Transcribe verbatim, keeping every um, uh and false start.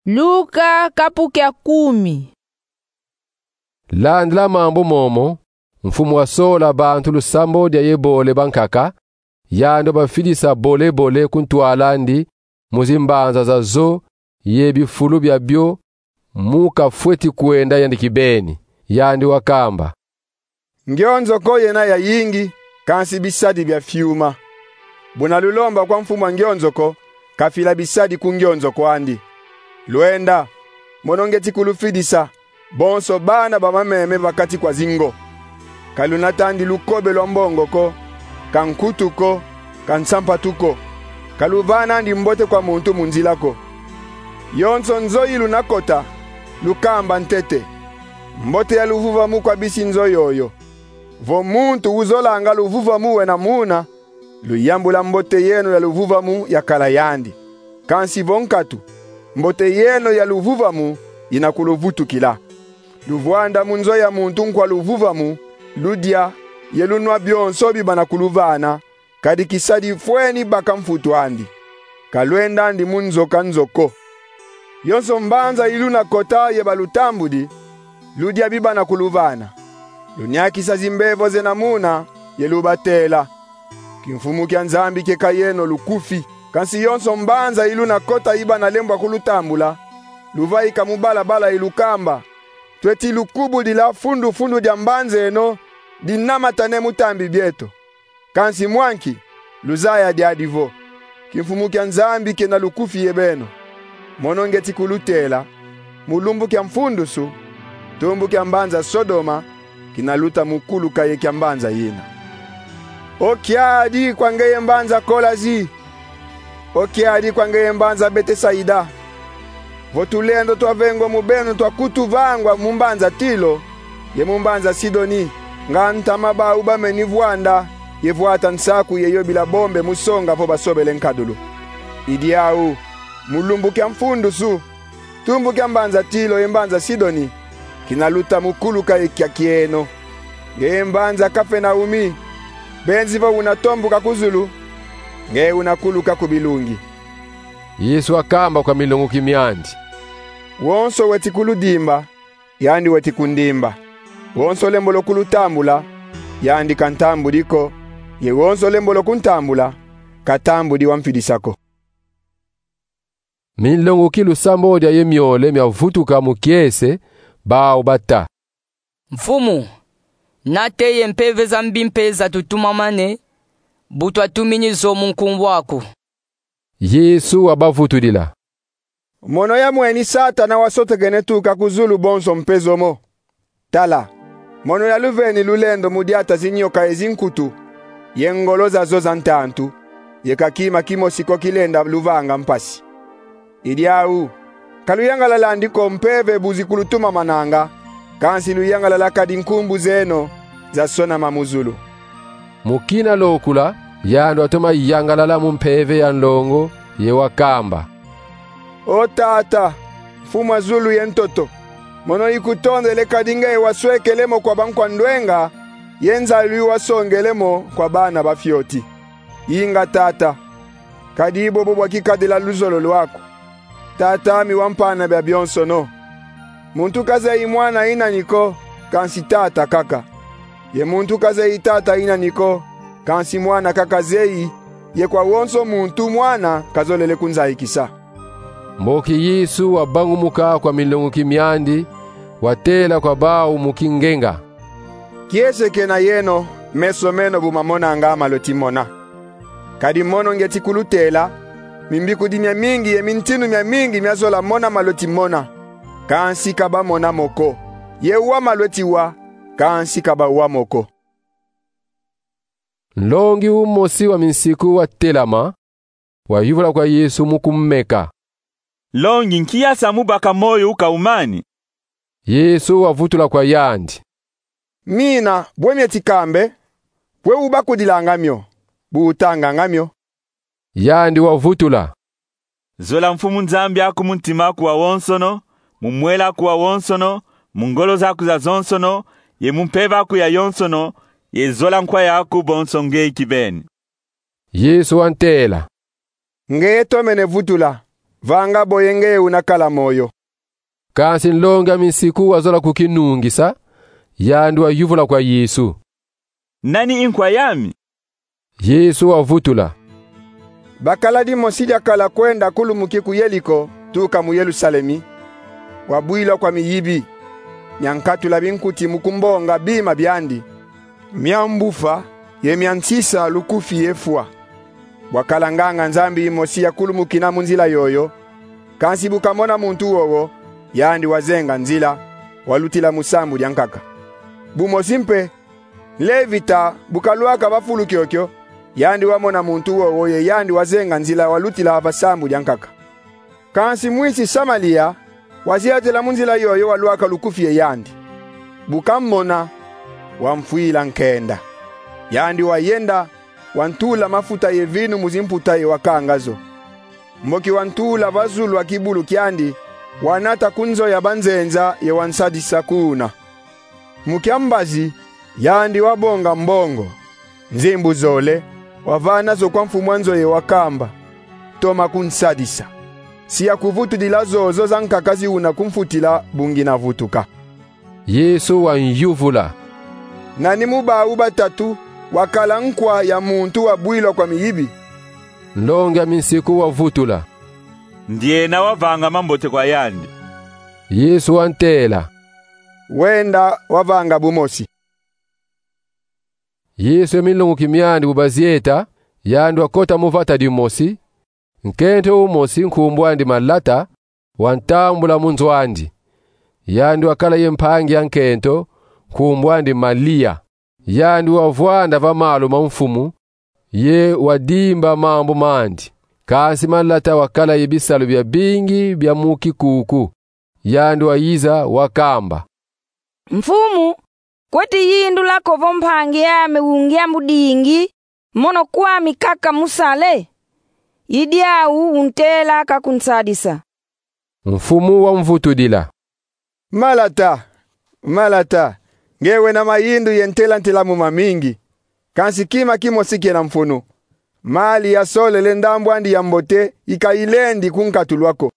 Luka kapu kia kumi. Landila mambu momo, mfumu wasola bantu lusambo dia ye bole bankaka, yandi wabafidisa bole-bole ku ntwala andi, mu zimbanza zazo ye bifulu biabio, mu kafweti kwenda yandi kibeni. Yandi wakamba: Ngionzoko yena yayingi, kansi bisadi bia fiuma. Buna lulomba kwa mfumu a ngionzoko, kafila bisadi ku ngionzoko andi. Lwenda, mono ngeti kulufidisa, bonso bana ba mameme ba kati kwa zingo. Ka lunata andi lukobe lwa mbongo ko, ka nkutu ko, ka nsampatu ko. Ka luvana andi mbote kwa muntu mu nzila ko. Yonso nzo yi luna kota, lukamba ntete: Mbote ya luvuvamu kwa bisi nzo yoyo. Vo muntu uzolanga luvuvamu wena muna, luyambula mbote yeno ya luvuvamu yakala yandi. Kansi vo nkatu, mbote yeno ya luvuvamu yina kuluvutukila. Luvwanda mu nzo ya muntu nkwa luvuvamu, ludia ye lunwa bionso bi bana kuluvana, kadi kisadi fweni baka mfutu andi. Ka lwenda andi mu nzo ka nzo ko. Yonso mbanza yi luna kota ye balutambudi, ludia bi bana kuluvana. Luniakisa zimbevo zena muna, ye lubatela. Kimfumu kia Nzambi kieka yeno lukufi. Kansi yonso mbanza yi luna kota yi bana lembwa kulutambula, luvaika mu balabala ye lukamba: Tweti lukubudila fundu-fundu dia mbanza eno dinamatane mu tambi bieto. Kansi mwa nki? Luzaya diadi vo kimfumu kia Nzambi kena lukufi ye beno. Mono ngeti kulutela, mu lumbu kia mfundusu, tumbu kia mbanza Sodoma kina luta mu kuluka ye kia mbanza yina. O kiadi kwa ngeye mbanza Kolazi! O kiadi kwa ngeye mbanza Betesaida! Vo tulendo twa vengo mu beno twa kutu vangwa mu mbanza Tilo ye mu mbanza Sidoni, nga ntama bau bameni vwanda ye vwata nsaku ye yobila bombe mu songa vo basobele nkadulu. I diau, mu lumbu kia mfundusu, tumbu kia mbanza Tilo ye mbanza Sidoni kina luta mu kuluka ye kia kieno. Ngeye mbanza Kapenaumi, benzi vo una tombuka ku zulu, ngeye una kuluka ku bilungi. Yesu wakamba kwa milonguki miandi: Wonso weti kuludimba, yandi weti kundimba. Wonso lembolo kulutambula, yandi ka ntambudi ko, ye wonso lembolo kuntambula, ka tambudi wamfidisa ko. Minlonguki lusambo dia ye miole miavutuka mu kiese, bau bata: Mfumu, nate ye mpeve za mbi mpe zatutumamane, bu twatumini zo mu nkumbu aku. Yesu wabavutudila: Mono yamweni Satana wasotekene tuka ku zulu bonso mpe zo mo. Tala, mono yaluveni lulendo mu diata zinyoka ye zinkutu, ye ngolo zazo za ntantu, ye ka kima kimosi ko kilenda luvanga mpasi. I diau, ka luyangalala andi ko mpeve bu zikulutumamananga, kansi luyangalala kadi nkumbu zeno zasonama mu zulu. Mu kina lokula, yandi watoma yangalala mu mpeve ya nlongo, ye wakamba: O Tata, Mfumu a zulu ye ntoto, mono ikutondele kadi ngeye waswekele mo kwa bankwa ndwenga, ye nzayilu wasongele mo kwa bana ba fioti. Inga, Tata, kadi bobo bwakikadila luzolo lwaku. Tata mi wampana bia bionsono. Muntu kazeyi Mwana yi nani ko, kansi Tata kaka. Ye muntu kazeyi Tata yi nani ko, kansi Mwana kaka zeyi, ye kwa wonso muntu Mwana kazolele kunzayikisa. Mboki Yesu wabangumuka kwa milonguki miandi, watela kwa bau mu kingenga: Kiese kena yeno, meso meno bu mamonanga malweti mona. Kadi mono ngeti kulutela, mimbikudi miamingi ye mintinu miamingi miazola mona malweti mona, kansi ka bamona mo ko. Ye wa malweti wa, kansi ka bawa mo ko. Nlongi umosi wa minsiku watelama, wayuvula kwa Yesu mu kumeka: Nlongi, nki yasa mu baka moyo uka umani? Yesu wavutula kwa yandi: Mina, bwe mieti kambe, bwe ubakudilanga mio, bu utanganga mio. Yandi wavutula: Zola Mfumu Nzambi aku mu ntima aku wawonsono, mu mwela aku wawonsono, mu ngolo zaku zazonsono, ye mu mpeve aku yayonsono, ye zola nkwa yaku bonso nge kibeni. Yesu wantela: Nge tomene vutula. vanga boye nge una kala moyo. Kansi nlongi a minsiku wazola kukinungisa, yandi wayuvula kwa Yesu: Nani nkwa yami? Yesu wavutula: Bakala dimosi diakala kwenda kulumuki ku Yeliko tuka mu Yelusalemi, wabwila kwa miyibi, miankatula binkuti mu kumbonga bima biandi, miambufa ye miansisa lukufi ye fwa. Bwakala nganga-Nzambi yimosi yakulumukina mu nzila yoyo, kansi bu kamona muntu wowo, yandi wazenga nzila, walutila mu sambu diankaka. Bumosi mpe, nlevita bu kalwaka va fulu kiokio, yandi wamona muntu wowo ye yandi wazenga nzila, walutila va sambu diankaka. Kansi mwisi Samalia waziatela mu nzila yoyo, walwaka lukufi ye yandi. Bu kamona, wamfwila nkenda. Yandi wayenda, wantula mafuta ye vinu mu zimputa ye wakanga zo. Mboki wantula va zulu a kibulu kiandi, wanata ku nzo ya banzenza ye wansadisa kuna. Mu kiambazi, yandi wabonga mbongo. Nzimbu zole, wavana zo kwa mfumu a nzo ye wakamba: Toma kunsadisa. Si yakuvutudila zozo zankaka zi una kumfutila, bu ngina vutuka. Yesu wanyuvula: Nani mu bau batatu wakala nkwa ya muntu wabwila kwa miyibi? Nlongi a minsiku wavutula: Ndiena wavanga mambote kwa yandi. Yesu wantela: Wenda wavanga bumosi. Yesu ye minlonguki miandi bu bazieta, yandi wakota mu vata dimosi. Nkento umosi, nkumbu andi Malata, wantambula mu nzo andi. Yandi wakala ye mpangi a nkento, nkumbu andi Malia. Yandi wavwanda va malu ma Mfumu, ye wadimba mambu mandi. Kansi Malata wakala ye bisalu biabingi bia mu kikuku. Yandi wayiza wakamba: Mfumu, kweti yindula ko vo mpangi ame ungia mu dingi, mono kwami kaka musale? I diau untela ka kunsadisa. Mfumu wamvutudila: Malata, Malata, nge wena mayindu ye ntela-ntela mu mamingi, kansi kima kimosi kena mfunu. Mali yasolele ndambu andi ya mbote ika ilendi kunkatulwa ko.